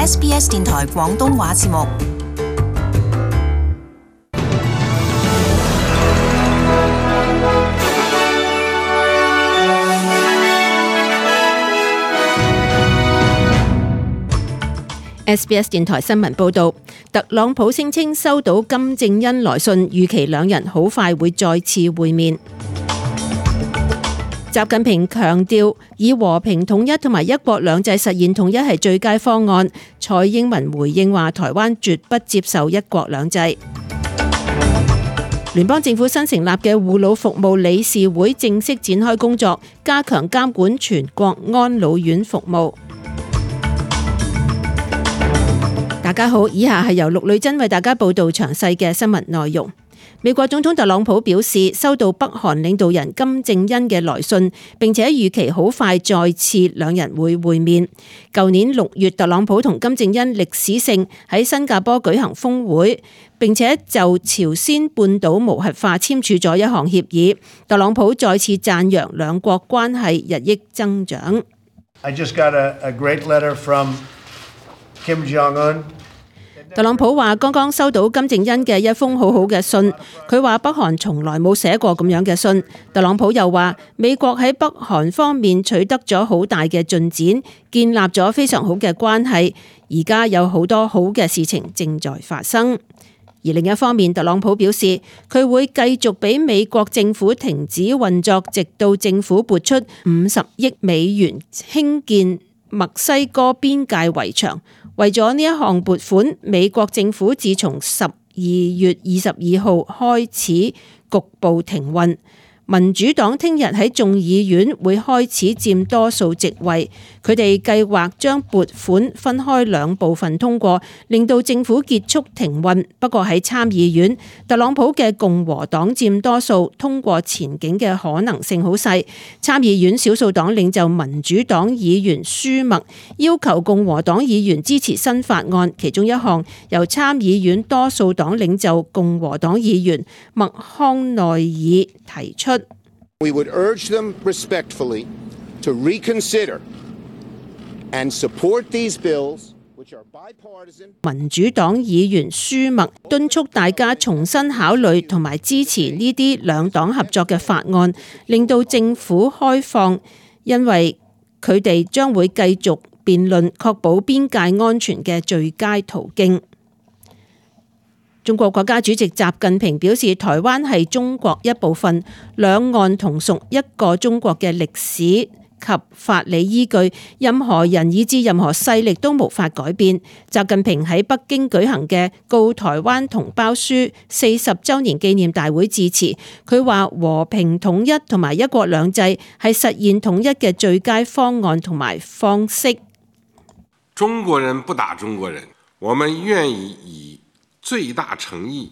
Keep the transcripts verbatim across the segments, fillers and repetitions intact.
S B S 電台廣東話節目。S B S 電台新聞報道，特朗普聲稱收到金正恩來信，預期兩人好快會再次會面。習近平強調，以和平統一同埋一國兩制實現統一係最佳方案。蔡英文回應話，台灣絕不接受一國兩制。聯邦政府新成立嘅護老服務理事會正式展開工作，加強監管全國安老院服務。大家好，以下係由陸女珍為大家報道詳細嘅新聞內容。美國總統特朗普表示，收到北韓領導人金正恩嘅來信，並且預期好快再次兩人會會面。舊年六月，特朗普同金正恩歷史性喺新加坡舉行峰會，並且就朝鮮半島無核化簽署咗一項協議。特朗普再次讚揚兩國關係日益增長。I just got a, a great letter from Kim Jong-un。特朗普話剛剛收到金正恩嘅一封好好嘅信，佢話北韓從來冇寫過咁樣嘅信。特朗普又話美國喺北韓方面取得咗好大嘅進展，建立咗非常好嘅關係，而家有好多好嘅事情正在發生。而另一方面，特朗普表示佢會繼續俾美國政府停止運作，直到政府撥出五十億美元興建墨西哥邊界圍牆。為咗呢一項撥款，美國政府自從十二月二十二號開始局部停運。民主黨聽日喺眾議院會開始佔多數席位，佢哋計劃將撥款分開兩部分通過，令到政府結束停運。不過喺參議院，特朗普嘅共和黨佔多數，通過前景嘅可能性好細。參議院少數黨領袖民主黨議員舒默要求共和黨議員支持新法案，其中一項由參議院多數黨領袖共和黨議員麥康奈爾提出。We would urge them respectfully to reconsider and support these bills, which are bipartisan. 民主黨議員舒默敦促大家重新考慮同埋支持呢啲兩黨合作嘅法案，令到政府開放，因為佢哋將會繼續辯論確保邊界安全嘅最佳途徑。中國國家主席習近平表示，台灣係中國一部分，兩岸同屬一個中國嘅歷史及法理依據，任何人以至任何勢力都無法改變。習近平喺北京舉行嘅告台灣同胞書四十週年紀念大會致辭，佢話和平統一同埋一國兩制係實現統一嘅最佳方案同埋方式。中國人不打中國人，我們願意以最大誠意。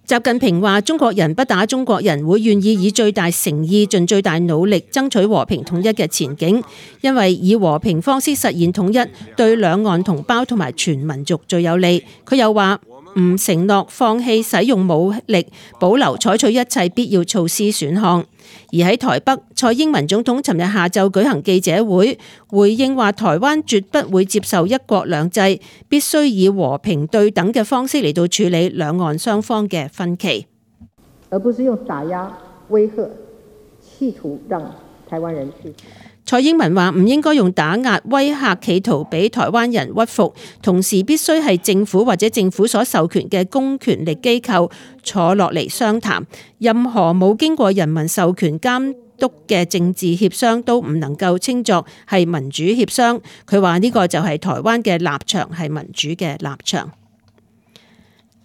習近平話：中國人不打中國人，會願意以最大誠意、盡最大努力爭取和平統一嘅前景，因為以和平方式實現統一，對兩岸同胞同埋全民族最有利。佢又話：唔承諾放棄使用武力，保留採取一切必要措施選項。而喺台北，蔡英文總統尋日下晝舉行記者會，回應話台灣絕不會接受一國兩制，必須以和平對等嘅方式嚟到處理兩岸雙方嘅分歧，而不是用打壓、威嚇，企圖讓台灣人屈服。蔡英文話唔應該用打壓、威嚇企圖俾台灣人屈服，同時必須係政府或者政府所授權嘅公權力機構坐落嚟商談。任何冇經過人民授權監督嘅政治協商都唔能夠稱作係民主協商。佢話呢個就係台灣嘅立場，係民主嘅立場。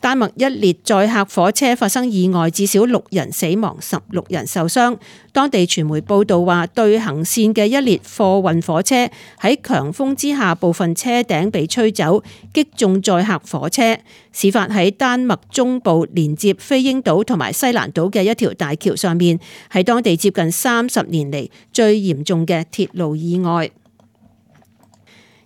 丹麥一列載客火車發生意外，至少六人死亡，十六人受傷。當地傳媒報道話，對行線嘅一列貨運火車喺強風之下，部分車頂被吹走，擊中載客火車。事發喺丹麥中部連接飛鷹島同埋西蘭島嘅一條大橋上面，係當地接近三十年嚟最嚴重嘅鐵路意外。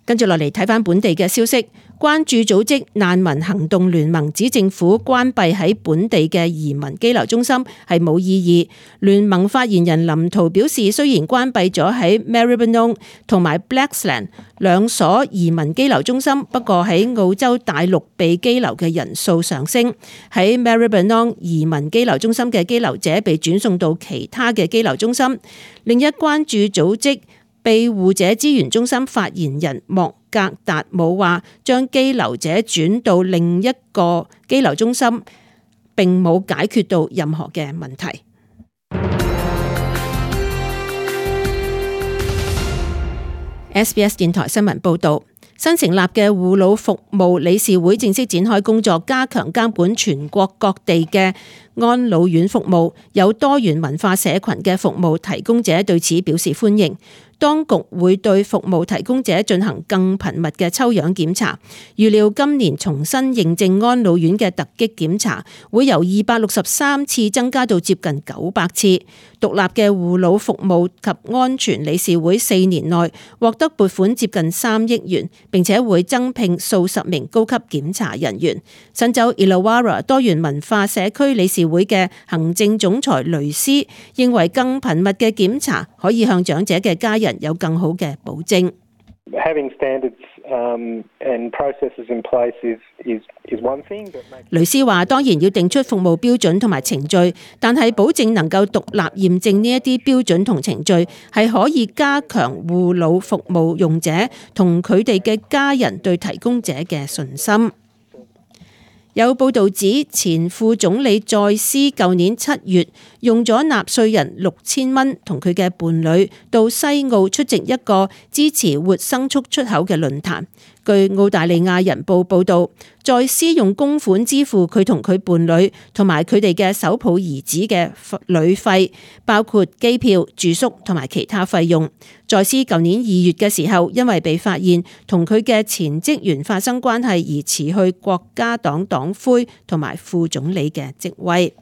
跟住落嚟睇返本地嘅消息，關注組織難民行動聯盟指政府關閉喺本地嘅移民羈留中心係冇意義。聯盟發言人林濤表示，雖然關閉咗喺 Maribyrnong 同埋 Blaxland 兩所移民羈留中心，不過喺澳洲大陸被羈留嘅人數上升，喺 Maribyrnong 移民羈留中心嘅羈留者被轉送到其他嘅羈留中心。另一關注組織庇護者資源中心發言人莫格達姆話，將羈留者轉到另一個羈留中心並冇解決到任何嘅問題。S B S 電台新聞報道，新成立嘅護老服務理事會正式展開工作，加強監管全國各地嘅安老院服務。有多元文化社群嘅服務提供者對此表示歡迎。當局會對服務提供者進行更頻密嘅抽樣檢查，預料今年重新認證安老院嘅突擊檢查會由二百六十三次增加到接近九百次。獨立嘅護老服務及安全理事會四年內獲得撥款接近三億元，並且會增聘數十名高級檢查人員。新州 Illawarra 多元文化社區理事會嘅行政總裁雷斯認為，更頻密嘅檢查可以向長者嘅家人有更好嘅保證。雷斯話：當然要定出服務標準同埋程序，但係保證能夠獨立驗證呢一啲標準同程序，係可以加強護老服務用者同佢哋嘅家人對提供者嘅信心。有報道指，前副總理再斯舊年七月用咗納稅人六千蚊同佢嘅伴侶到西澳出席一個支持活牲畜出口嘅論壇。據澳大利亞人報報導，再斯用公款支付佢同佢伴侶同埋佢哋嘅手抱兒子嘅旅費，包括機票、住宿同埋其他費用。再斯舊年二月嘅時候，因為被發現同佢嘅前職員發生關係而辭去國家黨黨魁同埋副總理嘅職位。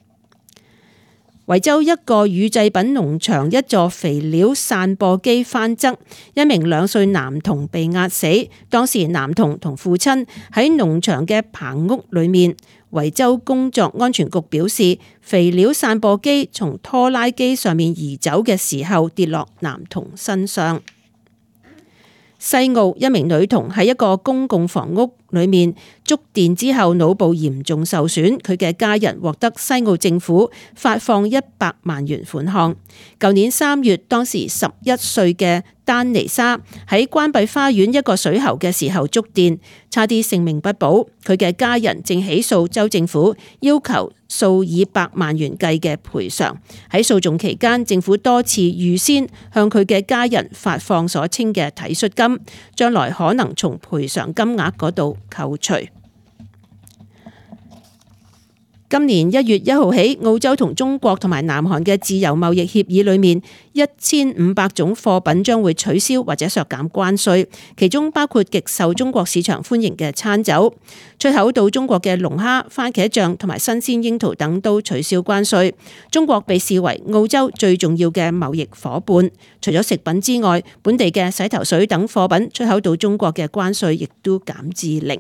維州一個乳製品農場一座肥料散播機翻側，一名兩歲男童被壓死。當時男童同父親喺農場嘅棚屋裏面。維州工作安全局表示，肥料散播機從拖拉機上面移走嘅時候跌落男童身上。西澳一名女童喺一個公共房屋裏面觸電之後腦部嚴重受損，佢嘅家人獲得西澳政府發放一百萬元款項。舊年三月，當時十一歲嘅丹尼莎喺關閉花園一個水喉嘅時候觸電，差啲性命不保。佢嘅家人正起訴州政府，要求數以百萬元計嘅賠償。喺訴訟期間，政府多次預先向佢嘅家人發放所稱嘅體恤金，將來可能從賠償金額嗰度扣除。今年一月一號起，澳洲同中國同埋南韓嘅自由貿易協議裏面，一千五百種貨品將會取消或者削減關稅，其中包括極受中國市場歡迎嘅餐酒。出口到中國嘅龍蝦、番茄醬同埋新鮮櫻桃等都取消關稅。中國被視為澳洲最重要嘅貿易夥伴。除咗食品之外，本地嘅洗頭水等貨品出口到中國嘅關稅亦都減至零。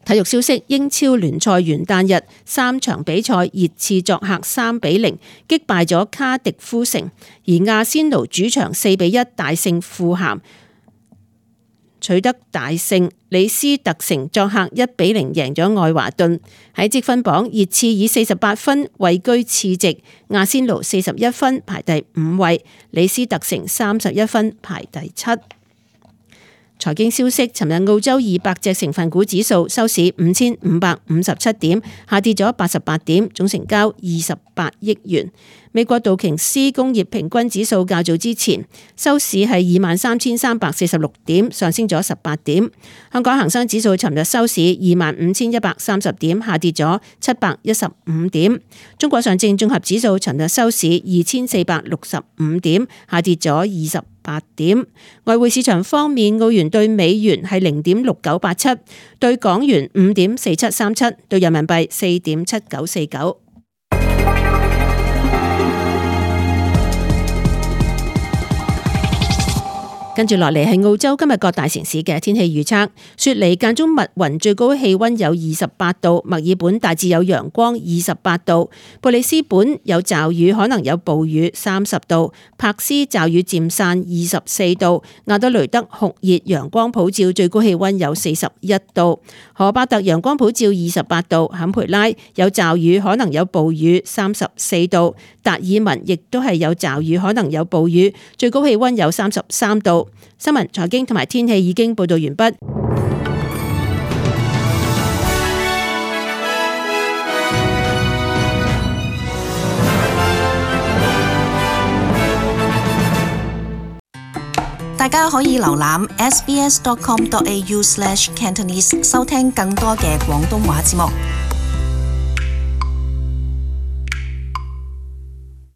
體育消息：英超聯賽元旦日三場比賽，熱刺作客三比零擊敗咗卡迪夫城，而阿仙奴主場四比一大勝富咸，取得大勝。李斯特城作客一比零贏咗愛華頓。喺積分榜，熱刺以四十八分位居次席，阿仙奴四十一分排第五位，李斯特城三十一分排第七。財經消息：尋日澳洲二百隻成分股指數收市五千五百五十七點，下跌咗八十八點，總成交二十八億元。美國道瓊斯工業平均指數較早之前收市係二萬三千三百四十六點，上升咗十八點。香港恒生指數尋日收市二萬五千一百三十點，下跌咗七百一十五點。中國上證綜合指數尋日收市二千四百六十五點，下跌咗二十八點。外匯市場方面，澳元對美元係零點六九八七，對港元五點四七三七，對人民幣四點七九四九。跟住落嚟係澳洲今日各大城市嘅天氣預測。雪梨間中密雲，最高氣溫有二十八度；墨爾本大致有陽光，二十八度；布里斯本有驟雨，可能有暴雨，三十度；柏斯驟雨漸散，二十四度；亞德雷德酷熱，陽光普照，最高氣溫有四十一度；荷巴特陽光普照，二十八度；坎培拉有驟雨，可能有暴雨，三十四度；達爾文亦都係有驟雨，可能有暴雨，最高氣溫有三十三度。新聞、財經同埋天氣已經報道完畢。大家可以瀏覽 s b s dot com dot a u slash cantonese 收聽更多嘅廣東話節目。